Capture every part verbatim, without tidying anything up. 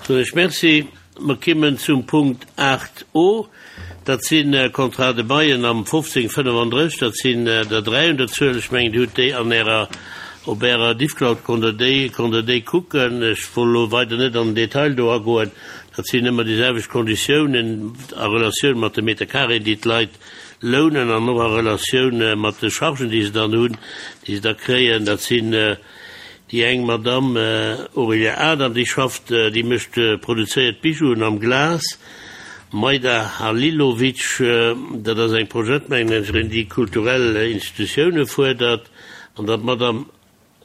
Soen ech Merci. Mer kimmen zum Punkt aacht o. Dat si Contrats de baillen am fofzéng fënnefandrësseg. Dat sinn der dräi un der Zuel. Ech mengen, Dir hutt déi an Ärer, op Ärer Diffcloud konnt Der déi, konnt Der déi kucken. Ech wollt elo weider net an den Detail do agoen. Dat sinn ëmmer déi selwecht Konditiounen a Relatioun mat de Meterkareeën, déi d'Leit lounen an och a Relatioun mat de Chargen, déi se dann hunn, déi se da kréien. Dat sinn déi eng Madamm Aurélia Adam, déi schafft, déi mécht, produzéiert Bijouen am Glas. Majda Halilovic, dat ass eng Projektmanagerin, déi kulturell Institutioune fuerdert. An dann d'Madamm,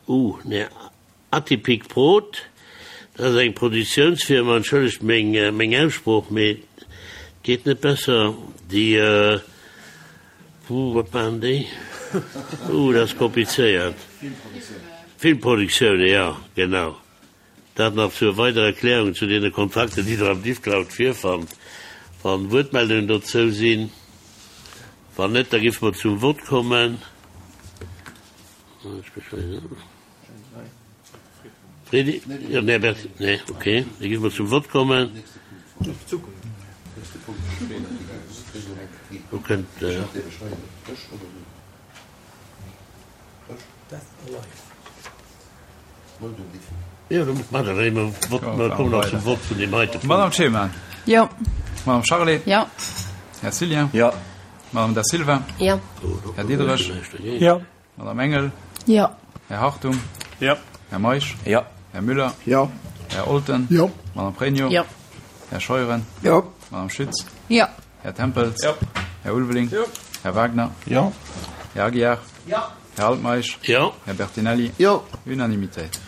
uh, nee, Atypic Prod, dat ass eng Produktiounsfirma, entschëllegt meng, meng Aussprooch, mee et geet net besser, déi, uh, wat maachen déi? Uh, dat ass komplizéiert. Filmproduktioune, jo, genau. Dat nach zur weiderer Erklärung zu deene Kontrakter, déi Der am Diffcloud virfannt. Wann Wuertmeldungen dozou sinn. Wann net, da géife mer zum Vott kommen. Fredy? Jo, den Här Berti. Nee, okay. Da géife mer zum Vott kommen. Do kënnt. Madame Cheman. Jo. Madame Charlé. Jo. Här Cillien. Jo. Madame Da Silva. Jo. Här Diderich. Jo. Madame Engel. Jo. Här Hartung. Jo. Här Meisch. Jo. Här Müller. Jo. Här Olten. Jo. Madame Pregno. Jo. Här Scheuren. Jo. Madame Schütz. Jo. Här Tempels. Jo. Här Ulveling. Jo. Här Wagner. Jo. Här Aguiar. Jo. Här Altmeisch. Jo. Här Bertinelli. Jo. Unanimitéit.